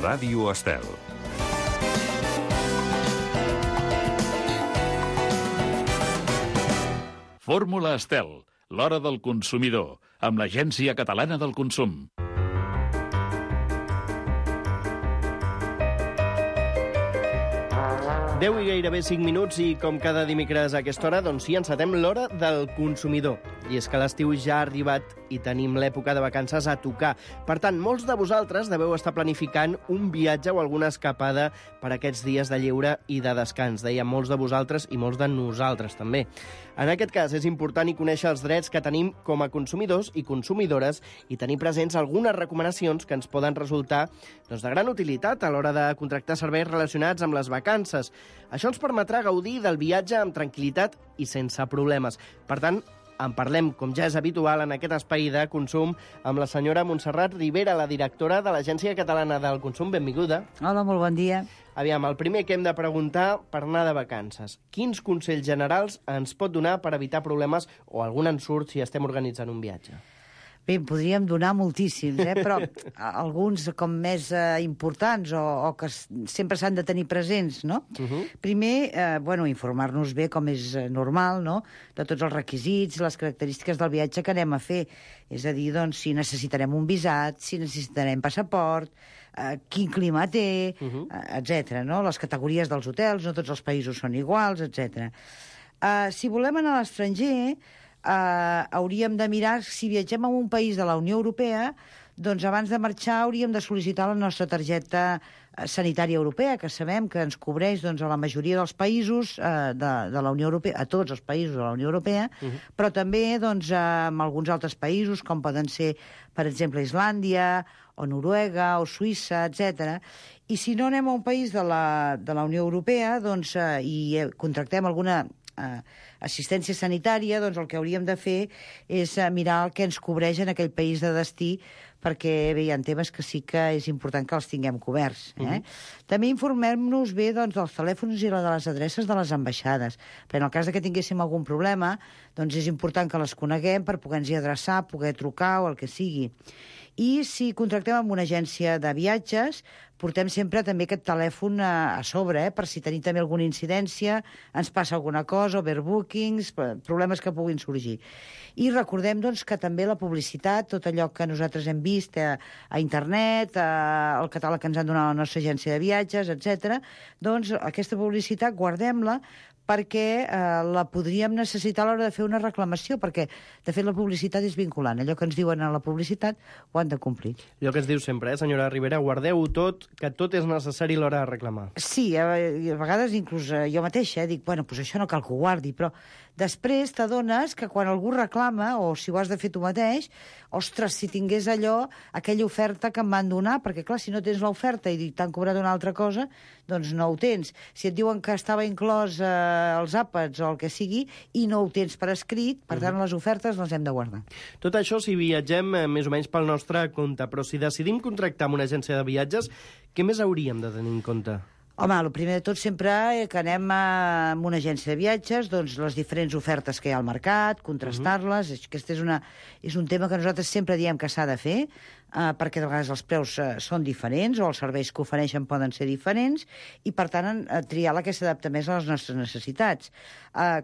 Ràdio Estel. Fórmula Estel, l'hora del consumidor, amb l'Agència Catalana del Consum. 10 i gairebé 5 minuts i com cada dimecres a aquesta hora, doncs sí, encetem l'hora del consumidor. I és que l'estiu ja ha arribat i tenim l'època de vacances a tocar. Per tant, molts de vosaltres deveu estar planificant un viatge o alguna escapada per aquests dies de lleure i de descans. Deia molts de vosaltres i molts de nosaltres també. En aquest cas és important conèixer els drets que tenim com a consumidors i consumidores i tenir presents algunes recomanacions que ens poden resultar de gran utilitat a l'hora de contractar serveis relacionats amb les vacances. Això ens permetrà gaudir del viatge amb tranquil·litat i sense problemes. Per tant, en parlem, com ja és habitual, en aquest espai de consum amb la senyora Montserrat Ribera, la directora de l'Agència Catalana del Consum. Benvinguda. Hola, molt bon dia. Aviam, el primer que hem de preguntar per anar de vacances. Quins consells generals ens pot donar per evitar problemes o algun ensurt si estem organitzant un viatge? Bé, en podríem donar moltíssims, però alguns com més importants o que sempre s'han de tenir presents, no? Primer, informar-nos bé, com és normal, no?, de tots els requisits, les característiques del viatge que anem a fer. És a dir, doncs, si necessitarem un visat, si necessitarem passaport, quin clima té, etc. no? Les categories dels hotels, no tots els països són iguals, etc. Si volem anar a l'estranger, hauríem de mirar, si viatgem a un país de la Unió Europea, doncs abans de marxar hauríem de sol·licitar la nostra targeta sanitària europea, que sabem que ens cobreix doncs, a la majoria dels països de la Unió Europea, a tots els països de la Unió Europea, però també doncs, en alguns altres països, com poden ser, per exemple, Islàndia, o Noruega, o Suïssa, etc. I si no anem a un país de la Unió Europea doncs, i contractem alguna assistència sanitària, doncs el que hauríem de fer és mirar el que ens cobreix en aquell país de destí, perquè bé, hi ha temes que sí que és important que els tinguem coberts. També informem-nos bé doncs, dels telèfons i de les adreces de les ambaixades, perquè en el cas que tinguéssim algun problema, doncs és important que les coneguem per poder-nos-hi adreçar, poder trucar o el que sigui. I si contractem amb una agència de viatges, portem sempre també aquest telèfon a sobre, per si tenim també alguna incidència, ens passa alguna cosa, overbookings, problemes que puguin sorgir. I recordem doncs, que també la publicitat, tot allò que nosaltres hem vist a internet, el catàleg que ens han donat la nostra agència de viatges, etc., doncs aquesta publicitat guardem-la perquè la podríem necessitar a l'hora de fer una reclamació, perquè, de fet, la publicitat és vinculant. Allò que ens diuen a la publicitat ho han de complir. Allò que es diu sempre, senyora Ribera, guardeu-ho tot, que tot és necessari a l'hora de reclamar. Sí, a vegades inclús jo mateixa dic, doncs això no cal que ho guardi, però després t'adones que quan algú reclama, o si ho has de fer tu mateix, ostres, si tingués allò, aquella oferta que em van donar, perquè clar, si no tens l'oferta i t'han cobrat una altra cosa, doncs no ho tens. Si et diuen que estava inclòs els àpats o el que sigui i no ho tens per escrit, per tant les ofertes les hem de guardar. Tot això si viatgem més o menys pel nostre compte, però si decidim contractar amb una agència de viatges, què més hauríem de tenir en compte? Home, el primer de tot sempre que anem a una agència de viatges, doncs les diferents ofertes que hi ha al mercat, contrastar-les, aquest és un tema que nosaltres sempre diem que s'ha de fer, perquè de vegades els preus són diferents o els serveis que ofereixen poden ser diferents i, per tant, triar la que s'adapta més a les nostres necessitats.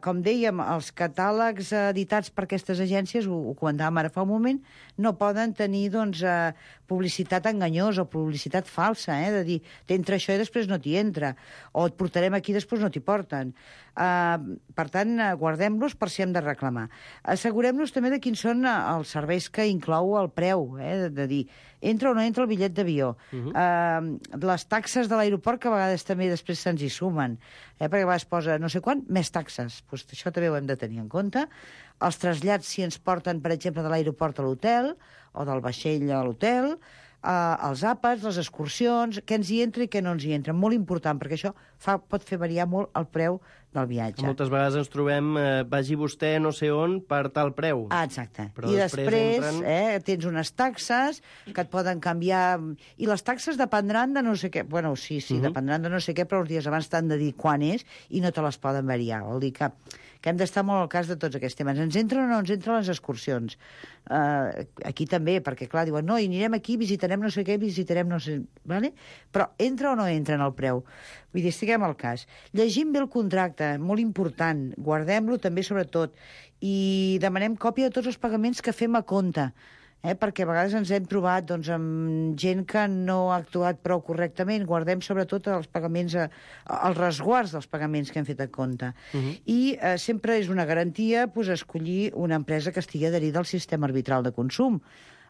Com dèiem, els catàlegs editats per aquestes agències, ho comentàvem ara fa un moment, no poden tenir doncs, publicitat enganyosa o publicitat falsa, de dir, t'entra això i després no t'hi entra, o et portarem aquí i després no t'hi porten. Per tant, guardem-los per si hem de reclamar. Assegurem-nos també de quins són els serveis que inclou el preu, de dir, entra o no entra el bitllet d'avió. Les taxes de l'aeroport, que a vegades també després se'ns hi sumen, perquè a vegades posa no sé quant, més taxes. Pues això també ho hem de tenir en compte. Els trasllats, si ens porten, per exemple, de l'aeroport a l'hotel, o del vaixell a l'hotel, els àpats, les excursions, què ens hi entra i què no ens hi entra. Molt important, perquè això pot fer variar molt el preu del viatge. Moltes vegades ens trobem, vagi vostè no sé on per tal preu. Exacte. I després tens unes taxes que et poden canviar, i les taxes dependran de no sé què. Bueno, sí, dependran de no sé què, però els dies abans t'han de dir quan és i no te les poden variar. Vol dir que que hem d'estar molt al cas de tots aquests temes. Ens entren o no ens entren les excursions? Aquí també, perquè clar, diuen, no, i anirem aquí, visitarem no sé què, visitarem no sé... Vale? Però entra o no entra en el preu? Vull dir, estiguem al cas. Llegim bé el contracte, molt important, guardem-lo també sobretot, i demanem còpia de tots els pagaments que fem a compte, perquè a vegades ens hem trobat doncs, amb gent que no ha actuat prou correctament. Guardem sobretot els pagaments, els resguards dels pagaments que hem fet a compte. I sempre és una garantia escollir una empresa que estigui adherida al sistema arbitral de consum,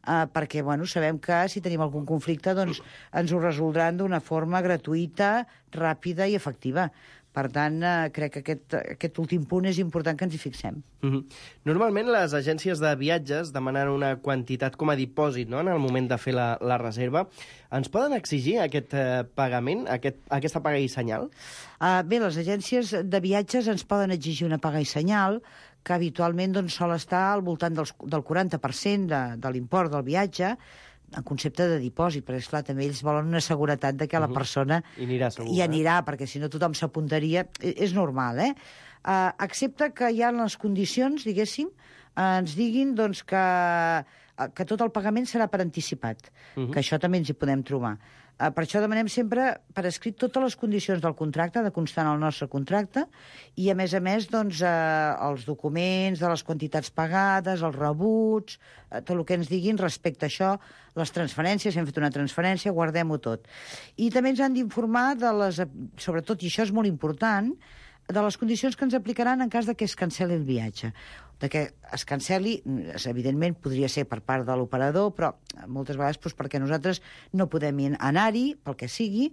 perquè sabem que si tenim algun conflicte doncs, ens ho resoldran d'una forma gratuïta, ràpida i efectiva. Per tant, crec que aquest últim punt és important que ens hi fixem. Normalment les agències de viatges demanen una quantitat com a dipòsit, no?, en el moment de fer la reserva. Ens poden exigir aquest pagament, aquesta paga i senyal? Bé, les agències de viatges ens poden exigir una paga i senyal, que habitualment doncs, sol estar al voltant del 40% de l'import del viatge, en concepte de dipòsit, perquè, esclar, també ells volen una seguretat de que la persona hi anirà, perquè si no tothom s'apuntaria. És normal, excepte que hi ha les condicions, diguéssim, ens diguin doncs, que tot el pagament serà per anticipat, que això també ens hi podem trobar. Per això demanem sempre per escrit totes les condicions del contracte, de constar en el nostre contracte, i a més, doncs, els documents de les quantitats pagades, els rebuts, tot el que ens diguin respecte a això, les transferències, si hem fet una transferència, guardem-ho tot. I també ens han d'informar sobretot, i això és molt important, de les condicions que ens aplicaran en cas de que es canceli el viatge. De que es canceli, evidentment, podria ser per part de l'operador, però moltes vegades perquè nosaltres no podem anar-hi, pel que sigui,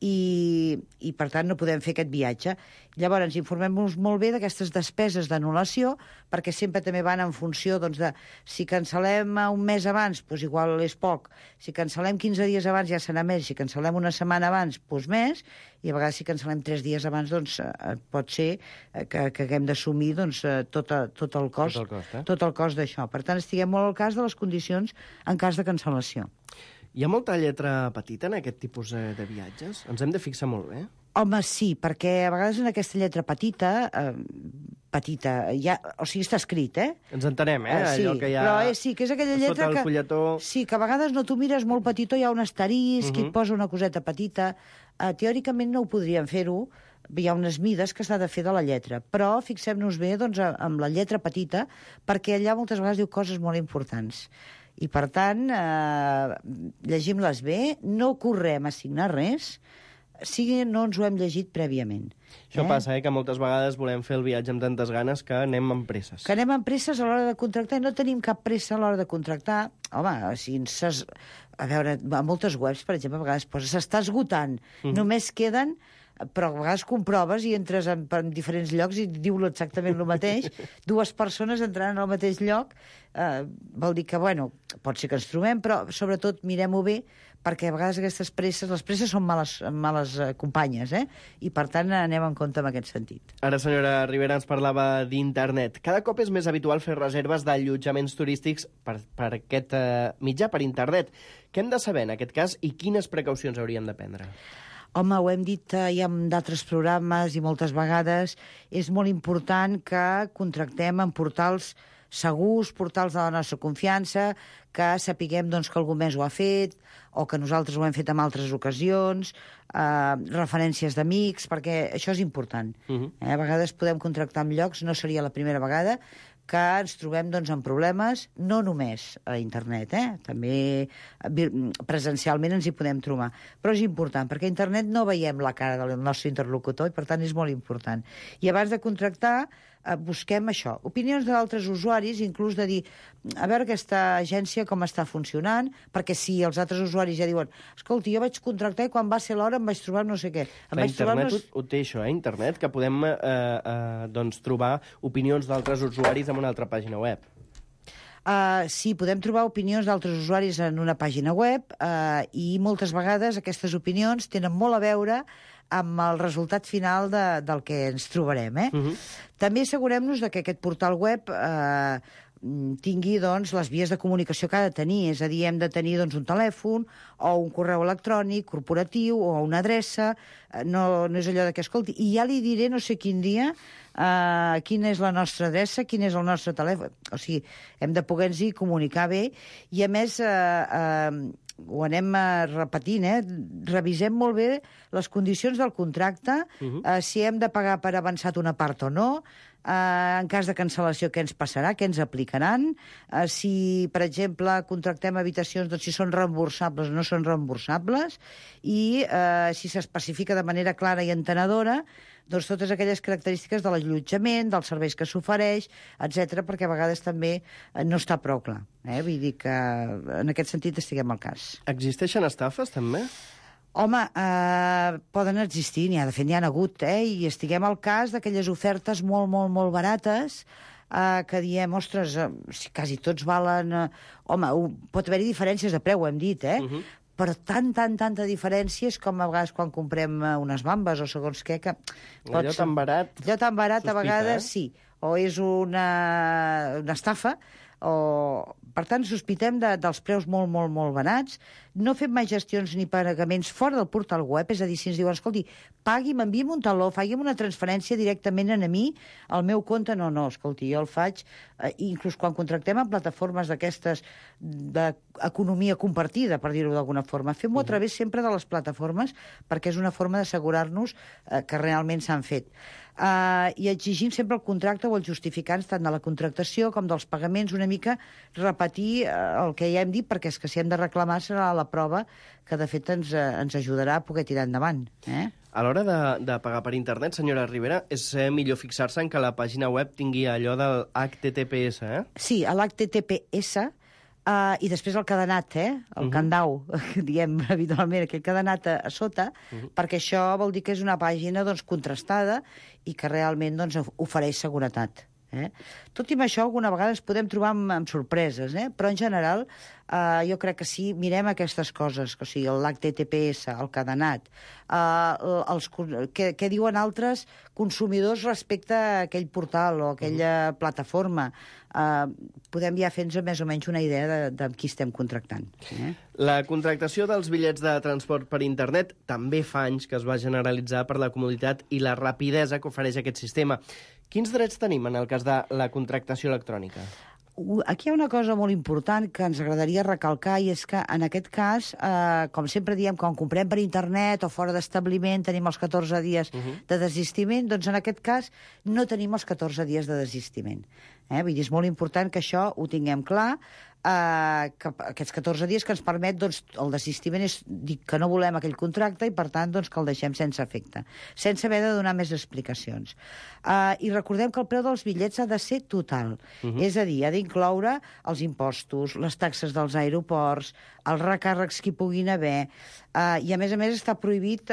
i per tant no podem fer aquest viatge. Llavors ens informem molt bé d'aquestes despeses d'anul·lació, perquè sempre també van en funció doncs, de si cancel·lem un mes abans, doncs igual és poc, si cancel·lem 15 dies abans ja serà més, si cancel·lem una setmana abans, doncs més, i a vegades si cancel·lem 3 dies abans doncs pot ser que haguem d'assumir doncs, tot el cost d'això. Per tant, estiguem molt al cas de les condicions en cas de cancel·lació. Hi ha molta lletra petita en aquest tipus de viatges? Ens hem de fixar molt bé. Home, sí, perquè a vegades en aquesta lletra petita, o sigui, està escrit, Ens entenem, sí, allò que hi ha però sí, que és aquella lletra sota el fulletó. Sí, que a vegades no t'ho mires molt petitó, hi ha un asterisc, i et posa una coseta petita. Teòricament no ho podríem fer-ho, hi ha unes mides que s'ha de fer de la lletra, però fixem-nos bé doncs, amb la lletra petita, perquè allà moltes vegades diu coses molt importants. I, per tant, llegim-les bé, no correm a signar res, si no ens ho hem llegit prèviament. Això passa, que moltes vegades volem fer el viatge amb tantes ganes que anem amb presses. Que anem amb presses a l'hora de contractar i no tenim cap pressa a l'hora de contractar. Home, a veure, a moltes webs, per exemple, a vegades posa s'està esgotant, només queden... Però a vegades comproves i entres en diferents llocs i diu exactament el mateix. 2 persones entrant al mateix lloc vol dir que, pot ser que ens trobem, però sobretot mirem-ho bé, perquè a vegades les presses són males companyes, i per tant anem en compte en aquest sentit. Ara, senyora Rivera, ens parlava d'internet. Cada cop és més habitual fer reserves d'allotjaments turístics per aquest mitjà, per internet. Què hem de saber en aquest cas i quines precaucions hauríem de prendre? Home, ho hem dit ja en d'altres programes i moltes vegades, és molt important que contractem en portals segurs, portals de la nostra confiança, que sapiguem doncs, que algú més ho ha fet o que nosaltres ho hem fet en altres ocasions, referències d'amics, perquè això és important. A vegades podem contractar en llocs, no seria la primera vegada, que ens trobem doncs, amb problemes, no només a internet, també presencialment ens hi podem trobar. Però és important, perquè a internet no veiem la cara del nostre interlocutor i per tant és molt important. I abans de contractar busquem això, opinions d'altres usuaris, inclús de dir, a veure aquesta agència com està funcionant, perquè si els altres usuaris ja diuen, escolti, jo vaig contractar i quan va ser l'hora em vaig trobar no sé què. Internet ho té això, internet, que podem trobar opinions d'altres usuaris en una altra pàgina web. Sí, podem trobar opinions d'altres usuaris en una pàgina web i moltes vegades aquestes opinions tenen molt a veure amb el resultat final del que ens trobarem. També assegurem-nos que aquest portal web tingui doncs, les vies de comunicació que ha de tenir. És a dir, hem de tenir doncs, un telèfon o un correu electrònic corporatiu o una adreça. No és allò que, escolti, i ja li diré no sé quin dia quina és la nostra adreça, quin és el nostre telèfon. O sigui, hem de poder-nos-hi comunicar bé i, a més, ho anem repetint, revisem molt bé les condicions del contracte, si hem de pagar per avançat una part o no, en cas de cancel·lació què ens passarà, què ens aplicaran, si, per exemple, contractem habitacions, doncs si són reemborsables o no són reemborsables, i si s'especifica de manera clara i entenedora doncs totes aquelles característiques de l'allotjament, dels serveis que s'ofereix, etc, perquè a vegades també no està prou clar. Vull dir que en aquest sentit estiguem al cas. Existeixen estafes, també? Home, poden existir, n'hi ha hagut, i estiguem al cas d'aquelles ofertes molt, molt, molt barates, que diem, ostres, si quasi tots valen... Home, pot haver-hi diferències de preu, ho hem dit, però tanta diferència és com a vegades quan comprem unes bambes o segons què, que... Allò tan barat... Allò tan barat, a vegades, sí. O és una estafa, o... Per tant, sospitem dels preus molt, molt, molt barats. No fem mai gestions ni pagaments fora del portal web, és a dir, si ens diuen, escolti, pagui'm, envia'm un taló, faci'm una transferència directament a mi, al meu compte, no, escolti, jo el faig, inclús quan contractem en plataformes d'aquestes d'economia compartida, per dir-ho d'alguna forma, fem-ho a través sempre de les plataformes, perquè és una forma d'assegurar-nos que realment s'han fet. I exigim sempre el contracte o els justificants tant de la contractació com dels pagaments, una mica repetir el que ja hem dit, perquè és que si hem de reclamar serà la prova que de fet ens ajudarà a poder tirar endavant. A l'hora de pagar per internet, senyora Rivera, és millor fixar-se en que la pàgina web tingui allò del HTTPS, Sí, l'HTTPS, i després el cadenat, el candau, diem habitualment, aquell cadenat a sota, perquè això vol dir que és una pàgina contrastada i que realment ofereix seguretat. Tot i amb això, alguna vegada ens podem trobar amb sorpreses, però en general jo crec que sí, mirem aquestes coses, o sigui, l'HTTPS, el cadenat, què diuen altres consumidors respecte a aquell portal o a aquella plataforma. Podem ja fer-nos més o menys una idea de qui estem contractant. La contractació dels bitllets de transport per internet també fa anys que es va generalitzar per la comoditat i la rapidesa que ofereix aquest sistema. Quins drets tenim en el cas de la contractació electrònica? Aquí hi ha una cosa molt important que ens agradaria recalcar, i és que en aquest cas, com sempre diem, quan comprem per internet o fora d'establiment tenim els 14 dies de desistiment, doncs en aquest cas no tenim els 14 dies de desistiment. Vull dir, és molt important que això ho tinguem clar, que aquests 14 dies que ens permet, el desistiment és dir que no volem aquell contracte i, per tant, que el deixem sense efecte, sense haver de donar més explicacions. I recordem que el preu dels bitllets ha de ser total, és a dir, ha d'incloure els impostos, les taxes dels aeroports, els recàrrecs que hi puguin haver, i a més està prohibit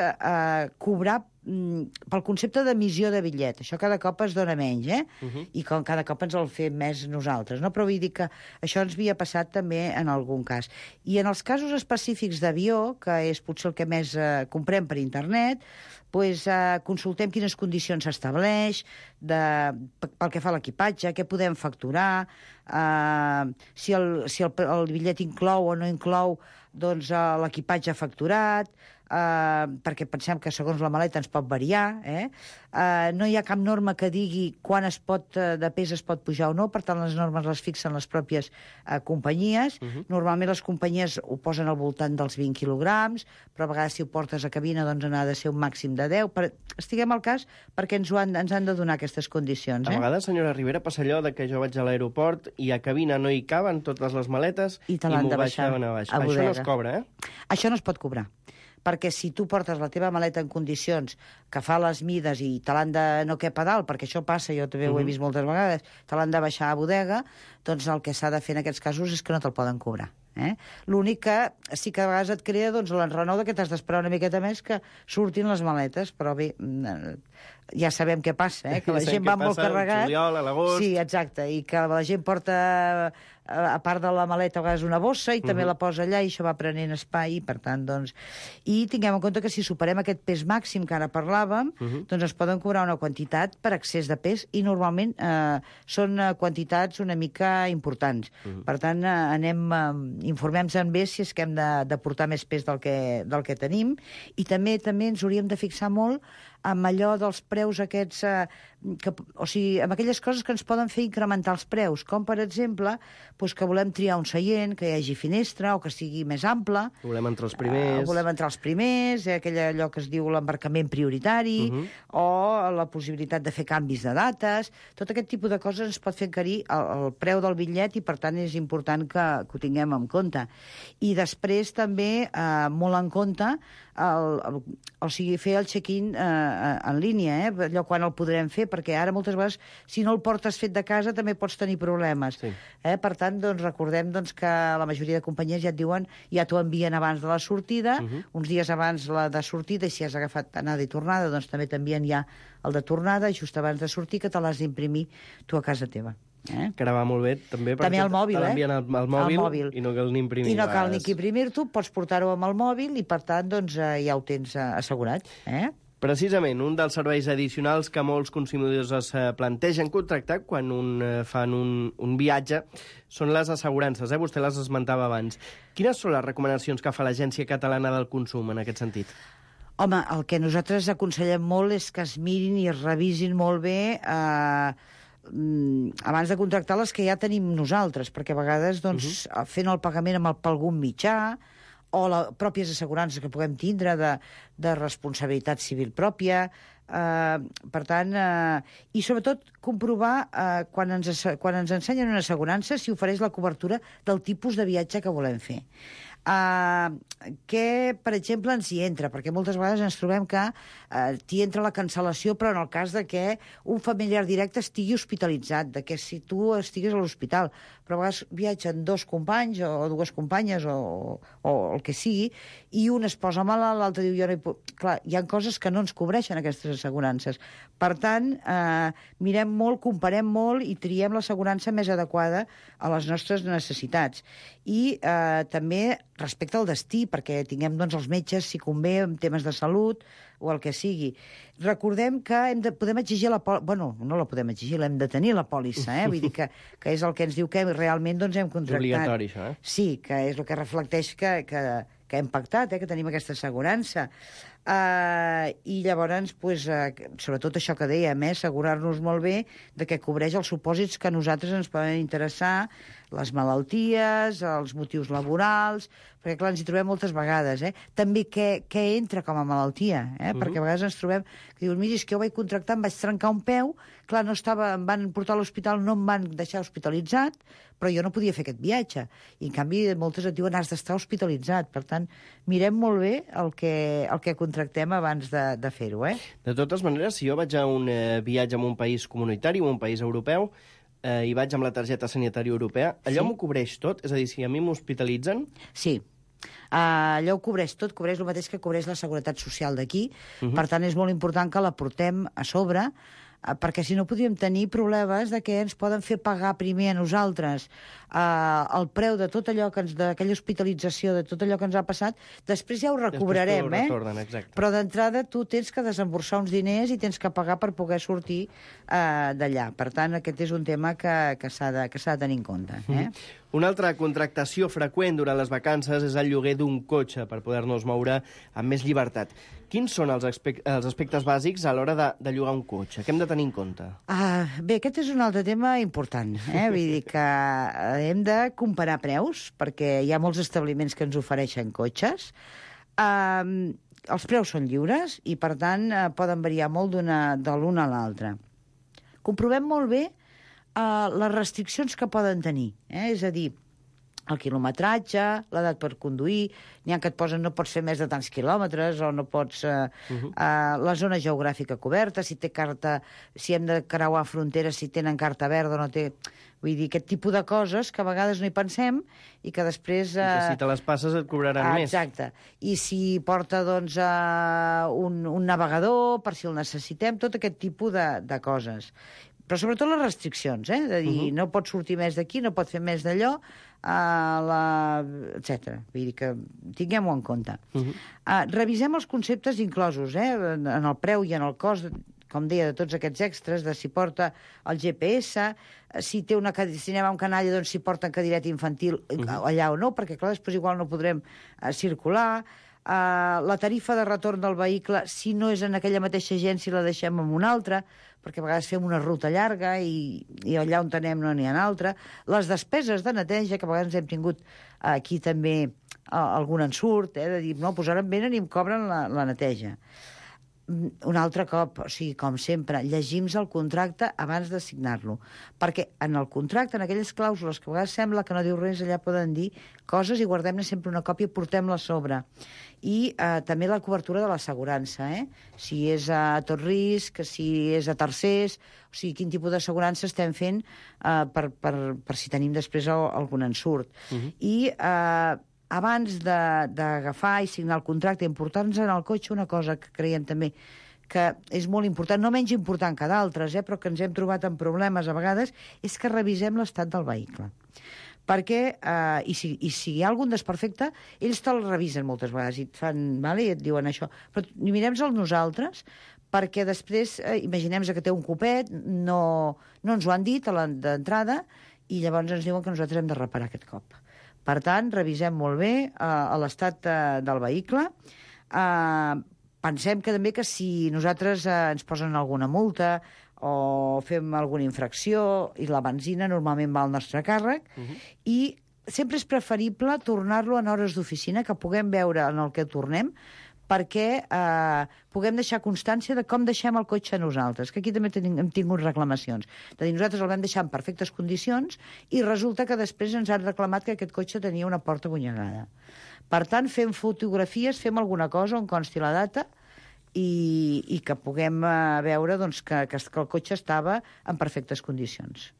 cobrar pel concepte d'emissió de bitllet. Això cada cop es dona menys, i cada cop ens el fem més nosaltres, no? Però vull dir que això ens havia passat també en algun cas. I en els casos específics d'avió, que és potser el que més comprem per internet, consultem quines condicions s'estableix, pel que fa a l'equipatge, què podem facturar, si el bitllet inclou o no inclou l'equipatge facturat, perquè pensem que segons la maleta ens pot variar. No hi ha cap norma que digui quan de pes es pot pujar o no, per tant les normes les fixen les pròpies companyies. Normalment les companyies ho posen al voltant dels 20 quilograms, però a vegades si ho portes a cabina n'ha de ser un màxim de 10. Estiguem al cas perquè ens han de donar aquestes condicions. A vegades, senyora Rivera, passa allò que jo vaig a l'aeroport i a cabina no hi caben totes les maletes i m'ho baixaven a baix. Això no es cobra, Això no es pot cobrar, perquè si tu portes la teva maleta en condicions que fa les mides i te l'han de no cap a dalt, perquè això passa, jo també ho he vist moltes vegades, te l'han de baixar a bodega, doncs el que s'ha de fer en aquests casos és que no te'l poden cobrar. L'únic que sí que a vegades et crea l'enrenou que t'has d'esperar una miqueta més que surtin les maletes, però bé, ja sabem què passa, que la gent va molt carregat. Juliol, a l'agost. Sí, exacte, i que la gent porta a part de la maleta, a vegades una bossa, i també la posa allà, i això va prenent espai, i per tant, doncs... I tinguem en compte que si superem aquest pes màxim que ara parlàvem, doncs es poden cobrar una quantitat per excés de pes, i normalment són quantitats una mica importants. Per tant, informem-se'n bé si és que hem de portar més pes del que tenim, i també ens hauríem de fixar molt amb allò dels preus aquests, o sigui, amb aquelles coses que ens poden fer incrementar els preus, com, per exemple, doncs que volem triar un seient, que hi hagi finestra, o que sigui més ample. Volem entrar els primers. Volem entrar els primers, allò que es diu l'embarcament prioritari, o la possibilitat de fer canvis de dates. Tot aquest tipus de coses ens pot fer encarir el preu del bitllet, i per tant és important que ho tinguem en compte. I després també, molt en compte, o sigui, fer el check-in en línia, allò quan el podrem fer, perquè ara moltes vegades, si no el portes fet de casa, també pots tenir problemes. Sí. Per tant, doncs, recordem que la majoria de companyies ja et diuen, ja t'ho envien abans de la sortida, uns dies abans la de sortida, i si has agafat anada i tornada, doncs també t'envien ja el de tornada, just abans de sortir, que te l'has d'imprimir tu a casa teva. Que ara va molt bé, també, perquè al mòbil, te l'envien al mòbil i no cal ni imprimir. I no cal ni que imprimir-t'ho, pots portar-ho amb el mòbil i, per tant, doncs, ja ho tens assegurat. Precisament, un dels serveis addicionals que molts consumidors es plantegen contractar quan fan un viatge són les assegurances. Vostè les esmentava abans. Quines són les recomanacions que fa l'Agència Catalana del Consum en aquest sentit? Home, el que nosaltres aconsellem molt és que es mirin i es revisin molt bé abans de contractar les que ja tenim nosaltres, perquè a vegades doncs, fent el pagament per algun mitjà, o les pròpies assegurances que puguem tindre de responsabilitat civil pròpia. Per tant, i sobretot comprovar quan ens ensenyen una assegurança si ofereix la cobertura del tipus de viatge que volem fer. Què, per exemple, ens hi entra? Perquè moltes vegades ens trobem que t'hi entra la cancel·lació, però en el cas de que un familiar directe estigui hospitalitzat, de que si tu estigues a l'hospital, però a vegades viatgen dos companys o dues companyes o el que sigui, i un es posa malalt, l'altre diu jo no hi puc... Clar, hi ha coses que no ens cobreixen aquestes assegurances. Per tant, mirem molt, comparem molt i triem l'assegurança més adequada a les nostres necessitats. I també respecte al destí, perquè tinguem doncs, els metges, si convé, en temes de salut o el que sigui. Recordem que podem exigir la pòlissa... Bueno, no la podem exigir, l'hem de tenir, la pòlissa, Vull dir que és el que ens diu que realment doncs, hem contractat. És obligatori, això, Sí, que és el que reflecteix que hem pactat, que tenim aquesta assegurança. I llavors, pues, sobretot això que dèiem, assegurar-nos molt bé de que cobreix els supòsits que a nosaltres ens poden interessar, les malalties, els motius laborals, perquè clar, ens hi trobem moltes vegades. També què entra com a malaltia, perquè a vegades ens trobem que diuen, mira, és que jo vaig contractar, em vaig trencar un peu, clar, em van portar a l'hospital, no em van deixar hospitalitzat, però jo no podia fer aquest viatge. I en canvi moltes et diuen, has d'estar hospitalitzat. Per tant, mirem molt bé el que contractem abans de fer-ho. De totes maneres, si jo vaig a un viatge en un país comunitari o un país europeu, i vaig amb la targeta sanitària europea, allò m'ho cobreix tot? És a dir, si a mi m'hospitalitzen... Sí. Allò ho cobreix tot, cobreix el mateix que cobreix la Seguretat Social d'aquí. Per tant, és molt important que la portem a sobre, perquè si no podríem tenir problemes de que ens poden fer pagar primer a nosaltres el preu de tot allò d'aquella hospitalització, de tot allò que ens ha passat, després ja ho recobrarem, però d'entrada tu tens que desemborsar uns diners i tens que pagar per poder sortir d'allà. Per tant, aquest és un tema que s'ha de tenir en compte. Una altra contractació freqüent durant les vacances és el lloguer d'un cotxe per poder-nos moure amb més llibertat. Quins són els aspectes bàsics a l'hora de llogar un cotxe? Què hem de tenir en compte? Bé, aquest és un altre tema important. Vull dir que hem de comparar preus, perquè hi ha molts establiments que ens ofereixen cotxes. Els preus són lliures i, per tant, poden variar molt de l'un a l'altre. Comprovem molt bé les restriccions que poden tenir. És a dir, el quilometratge, l'edat per conduir, n'hi ha que et posen no pots fer més de tants quilòmetres o no pots... la zona geogràfica coberta, si té carta, si hem de creuar fronteres, si tenen carta verda o no té... Vull dir, aquest tipus de coses que a vegades no hi pensem i que després... I que si te les passes et cobraran més. Exacte. I si porta, doncs, un navegador, per si el necessitem, tot aquest tipus de coses. Però sobretot les restriccions, de dir, no pot sortir més d'aquí, no pot fer més d'allò, etc. Vull dir que tinguem-ho en compte. Revisem els conceptes inclosos, en el preu i en el cost, com deia, de tots aquests extras, de si porta el GPS, si anem a un canalla, doncs si porta cadireta infantil allà o no, perquè clar, després igual no podrem circular. La tarifa de retorn del vehicle, si no és en aquella mateixa agència, la deixem en una altra, perquè a vegades fem una ruta llarga i allà on anem no n'hi ha altra. Les despeses de neteja, que a vegades hem tingut aquí també algun ensurt, de dir, no, doncs ara em venen i em cobren la neteja. Un altre cop, o sigui, com sempre, llegim-nos el contracte abans de signar-lo. Perquè en el contracte, en aquelles clàusules que a vegades sembla que no diu res, allà poden dir coses i guardem-ne sempre una còpia i portem-la a sobre. I també la cobertura de l'assegurança, si és a tot risc, si és a tercers, o sigui, quin tipus d'assegurança estem fent per si tenim després algun ensurt. I abans d'agafar i signar el contracte, importar-nos en el cotxe una cosa que creiem també que és molt important, no menys important que d'altres, però que ens hem trobat amb problemes a vegades, és que revisem l'estat del vehicle. Perquè, i si hi ha algun desperfecte, ells te'l revisen moltes vegades i et diuen això. Però mirem-se'l nosaltres, perquè després, imaginem que té un copet, no ens ho han dit d'entrada, i llavors ens diuen que nosaltres hem de reparar aquest cop. Per tant, revisem molt bé l'estat del vehicle. Pensem que també que si nosaltres ens posen alguna multa o fem alguna infracció, i la benzina normalment va al nostre càrrec, i sempre és preferible tornar-lo en hores d'oficina, que puguem veure en el que tornem, perquè puguem deixar constància de com deixem el cotxe nosaltres, que aquí també hem tingut reclamacions. De dir, nosaltres el vam deixar en perfectes condicions i resulta que després ens han reclamat que aquest cotxe tenia una porta gunyegada. Per tant, fem fotografies, fem alguna cosa on consti la data i que puguem veure que el cotxe estava en perfectes condicions.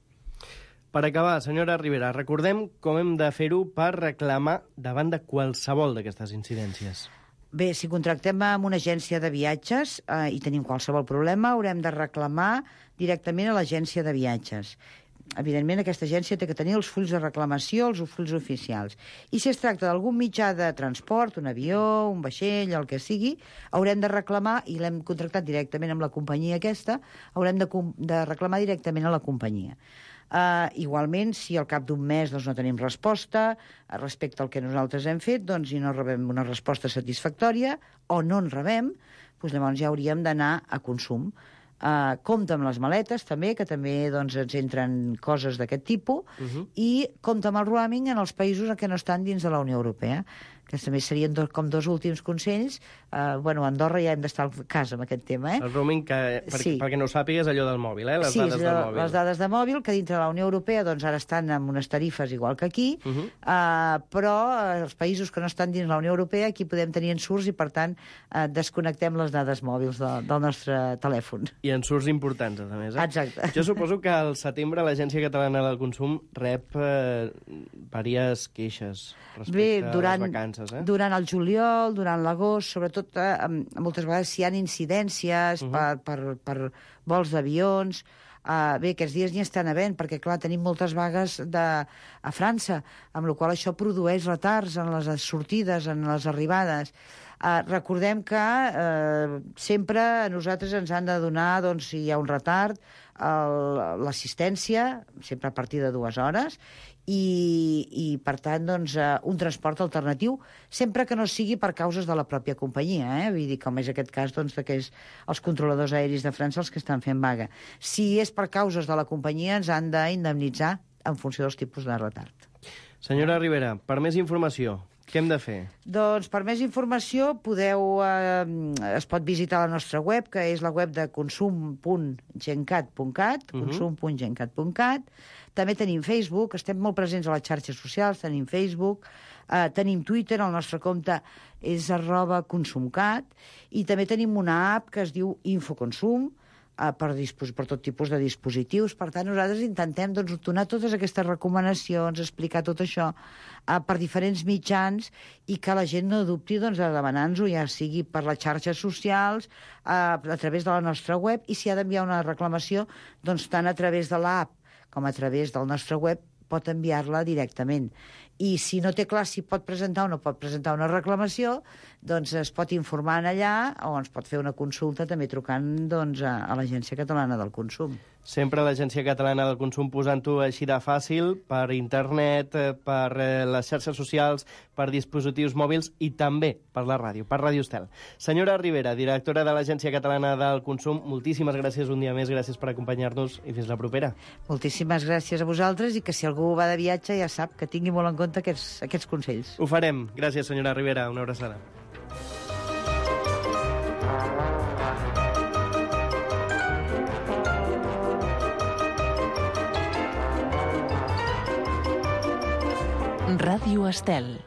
Per acabar, senyora Rivera, recordem com hem de fer-ho per reclamar davant de qualsevol d'aquestes incidències. Bé, si contractem amb una agència de viatges i tenim qualsevol problema, haurem de reclamar directament a l'agència de viatges. Evidentment, aquesta agència té que tenir els fulls de reclamació, els fulls oficials. I si es tracta d'algun mitjà de transport, un avió, un vaixell, el que sigui, haurem de reclamar, i l'hem contractat directament amb la companyia aquesta, haurem de reclamar directament a la companyia. Igualment, si al cap d'un mes no tenim resposta respecte al que nosaltres hem fet i no rebem una resposta satisfactòria o no en rebem, llavors ja hauríem d'anar a consum. Compte amb les maletes també, que també ens entren coses d'aquest tipus, i compte amb el roaming en els països que no estan dins de la Unió Europea, que també serien com dos últims consells. Andorra ja hem d'estar al cas amb aquest tema. El roaming, perquè no ho sàpigues, allò del mòbil, les dades del mòbil. Sí, les dades de mòbil, que dintre de la Unió Europea ara estan amb unes tarifes igual que aquí, però els països que no estan dins la Unió Europea, aquí podem tenir ensurts i, per tant, desconnectem les dades mòbils del nostre telèfon. I ensurts importants, a més. Exacte. Jo suposo que al setembre l'Agència Catalana del Consum rep diverses queixes respecte a les vacances. Durant el juliol, durant l'agost, sobretot moltes vegades si hi ha incidències per vols d'avions. Bé, aquests dies n'hi estan havent, perquè, clar, tenim moltes vagues a França, amb la qual això produeix retards en les sortides, en les arribades. Recordem que sempre a nosaltres ens han de donar, si hi ha un retard, l'assistència, sempre a partir de 2 hores, i per tant, un transport alternatiu, sempre que no sigui per causes de la pròpia companyia, vull dir, com és aquest cas, que és els controladors aeris de França els que estan fent vaga. Si és per causes de la companyia, ens han d'indemnitzar en funció dels tipus de retard. Senyora Rivera, per més informació, què hem de fer? Doncs per més informació es pot visitar la nostra web, que és la web de consum.gencat.cat, consum.gencat.cat. També tenim Facebook, estem molt presents a les xarxes socials, tenim Facebook, tenim Twitter, el nostre compte és @consumcat, i també tenim una app que es diu Infoconsum, per tot tipus de dispositius. Per tant, nosaltres intentem donar totes aquestes recomanacions, explicar tot això per diferents mitjans i que la gent no dubti de demanar-nos-ho, ja sigui per les xarxes socials, a través de la nostra web, i si ha d'enviar una reclamació, tant a través de l'app com a través del nostre web, pot enviar-la directament. I si no té clar si pot presentar o no pot presentar una reclamació, es pot informar allà o ens pot fer una consulta també trucant a l'Agència Catalana del Consum. Sempre l'Agència Catalana del Consum posant-ho així de fàcil, per internet, per les xarxes socials, per dispositius mòbils i també per la ràdio, per Ràdio Estel. Senyora Ribera, directora de l'Agència Catalana del Consum, moltíssimes gràcies un dia més, gràcies per acompanyar-nos i fins la propera. Moltíssimes gràcies a vosaltres i que si algú va de viatge ja sap que tingui molt en compte aquests consells. Ho farem. Gràcies, senyora Ribera. Una abraçada. Ràdio Estel.